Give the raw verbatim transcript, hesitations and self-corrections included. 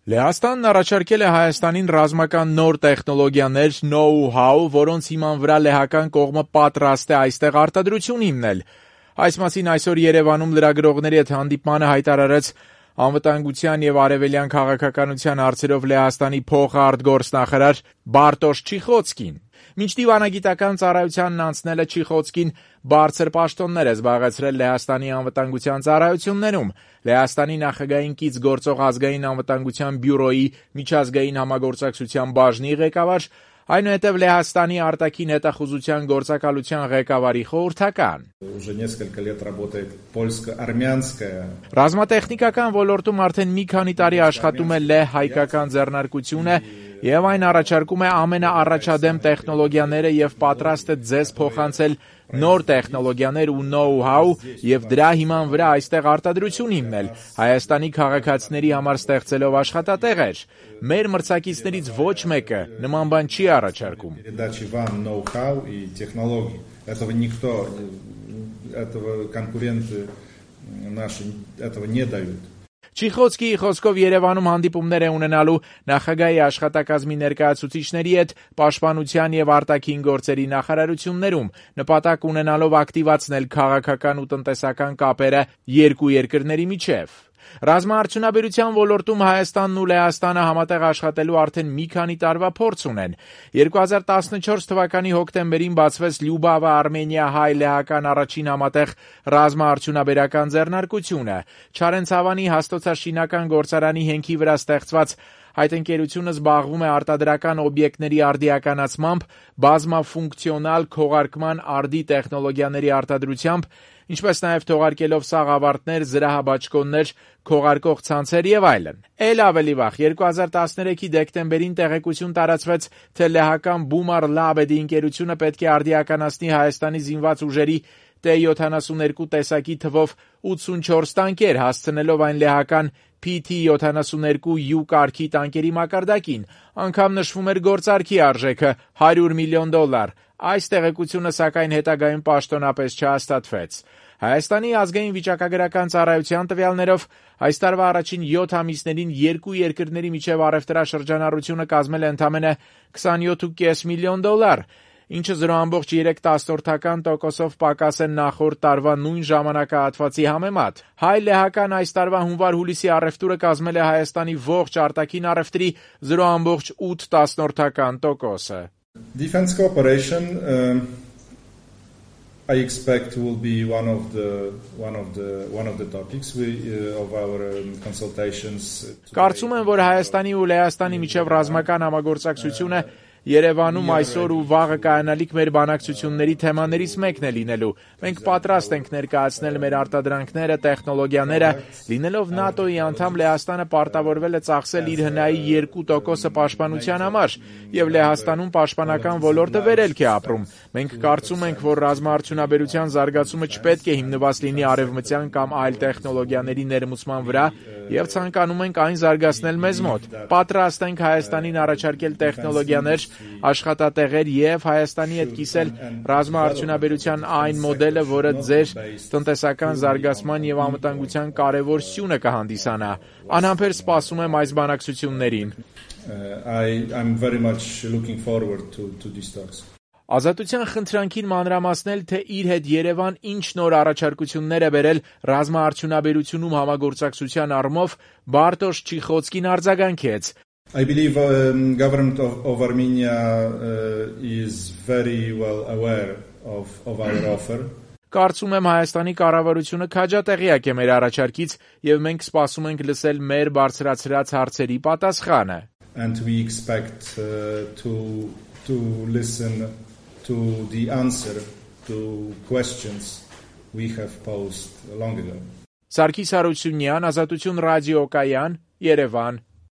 Լեհաստանն առաջարկել է Հայաստանին ռազմական նոր տեխնոլոգիաներ, know-how, որոնց հիման վրա լեհական կողմը պատրաստ է այստեղ արտադրություն հիմնել։ Այս մասին այսօր Երևանում լրագրողների հետ հանդիպմանը հայտարարեց անվտանգության եւ արևելյան քաղաքականության հարցերով Լեհաստանի փոխարտգործնախարար Բարտոշ Չիխոցկին։ Մինչ դիվանագիտական ծառայությանն անցնելը Չիխոցկին բարձր պաշտոններ է զբաղեցրել Լեհաստանի անվտանգության ծառայություններում։ Լեհաստանի նախագահին կից գործող ազգային անվտանգության բյուրոյի միջազգային համագործակցության բաժնի ղեկավար, այնուհետև Լեհաստանի արտաքին հետախուզության գործակալության ղեկավարի խորհրդական։ Ռազմատեխնիկական ոլորտում արդեն մի քանի տարի աշխատում է լեհ-հայկական ձեռնարկությունը եւ այն առաջարկում է ամենաառաջադեմ տեխնոլոգիաները եւ պատրաստ է ձեզ փոխանցել նոր տեխնոլոգիաներ ու know-how եւ դրա հիման վրա այստեղ արտադրություն հիմնել, Հայաստանի քաղաքացիների համար ստեղծելով աշխատատեղեր։ Մեր մրցակիցներից ոչ մեկը նման բան չի առաջարկում։ Չիխոցկիի խոսքով Երևանում հանդիպումներ է ունենալու նախագահի աշխատակազմի ներկայացուցիչների հետ պաշտպանության եւ արտաքին գործերի նախարարություններում, նպատակ ունենալով ակտիվացնել քաղաքական ու տնտեսական կապերը երկու երկրների միջև։ Ռազմաարդյունաբերության ոլորտում Հայաստանն ու Լեհաստանը համատեղ աշխատելու արդեն մի քանի տարվա փորձ ունեն։ երկու հազար տասնչորս թվականի հոկտեմբերին բացվեց Լյուբավա-Արմենիա-հայ-լեհական առաջին համատեղ ռազմաարդյունաբերական ձեռնարկությունը։ Չարենցավանի հաստոցաշինական գործարանի հենքի վրա ստեղծված այդ ընկերությունը զբաղվում է արտադրական օբյեկտների արդիականացմամբ, բազմաֆունկցիոնալ քողարկման արդի տեխնոլոգիաների արտադրությամբ, ինչպես նաև թողարկելով սաղավարտներ, զրահաբաճկոններ, քողարկող ցանցեր եւ այլն։ Էլ ավելի վաղ երկու հազար տասներեքի դեկտեմբերին տեղեկություն տարածվեց, թե լեհական Bumar Labed ընկերությունը պետք է արդիականացնի Հայաստանի զինված ուժերի T յոթանասուններկու տեսակի թվով ութսունչորս տանկեր, հասցնելով այն լեհական P T յոթանասուններկու U կարգի տանկերի մակարդակին, անգամ նշվում էր գործարքի արժեքը հարյուր միլիոն դոլար։ Այս տեղեկությունը սակայն հետագայում պաշտոնապես չհաստատվեց։ Հայաստանի ազգային վիճակագրական ծառայության տվյալներով այս տարվա առաջին յոթ ամիսներին երկու երկրների միջև առևտրաշրջանառությունը կազմել է ընդամենը քսանյոթ կόμμα պենս միլիոն դոլար, ինչը զրո կόμma երեք տոկոսով պակաս է նախորդ տարվա նույն ժամանակահատվածի համեմատ։ Հայ-լեհական այս տարվա հունվար-հուլիսի առևտուրը կազմել է Հայաստանի ողջ արտաքին առևտրի զրո կόμma ութ տոկոսը։ Defense cooperation um, I expect will be one of the one of the one of the topics we uh, of our um, consultations. Կարծում եմ, որ Հայաստանի ու Լեհաստանի միջև ռազմական համագործակցությունը Երևանում այսօր ու վաղը կայանալիք մեր բանակցությունների թեմաներից մեկն է լինելու։ Մենք պատրաստ ենք ներկայացնել մեր արտադրանքները, տեխնոլոգիաները, լինելով ՆԱՏՕ-ի անդամ Լեհաստանը պարտավորվել է ծախսել իր հնայի երկու տոկոսը պաշտպանության համար, եւ Լեհաստանում պաշտպանական ոլորտը վերելք է ապրում։ Մենք կարծում ենք, որ ռազմաարդյունաբերության զարգացումը չպետք է հիմնված լինի արևմտյան կամ այլ տեխնոլոգիաների ներմուծման վրա, եւ ցանկանում ենք այն զարգացնել մեզ մոտ։ Պատրաստ ենք Հայաստանին առաջարկել տեխնոլոգիաներ, աշխատատեղեր եւ Հայաստանի հետ կիսել ռազմաարդյունաբերության այն մոդելը, որը ձեր տնտեսական զարգացման եւ անվտանգության կարեւոր սյունը կհանդիսանա։ Անհամբեր սպասում եմ այս բանակցություններին։ I I'm very much looking forward to to these talks. Ազատության խնդրանքին մանրամասնել, թե իր հետ Երևան ինչ նոր առաջարկություններ է բերել ռազմաարդյունաբերությունում համագործակցության առումով, Բարտոշ Չիխոցկին արձագանքեց. I believe um, government of, of Armenia uh, is very well aware of of our offer. Կարծում եմ Հայաստանի կառավարությունը քաջատեղյակ է մեր առաջարկից եւ մենք սպասում ենք լսել մեր բարձրացրած հարցերի պատասխանը. And we expect uh, to to listen to the answer to questions we have posed long ago. Սարգիս Հարությունյան, Ազատություն ռադիոկայան, Երևան։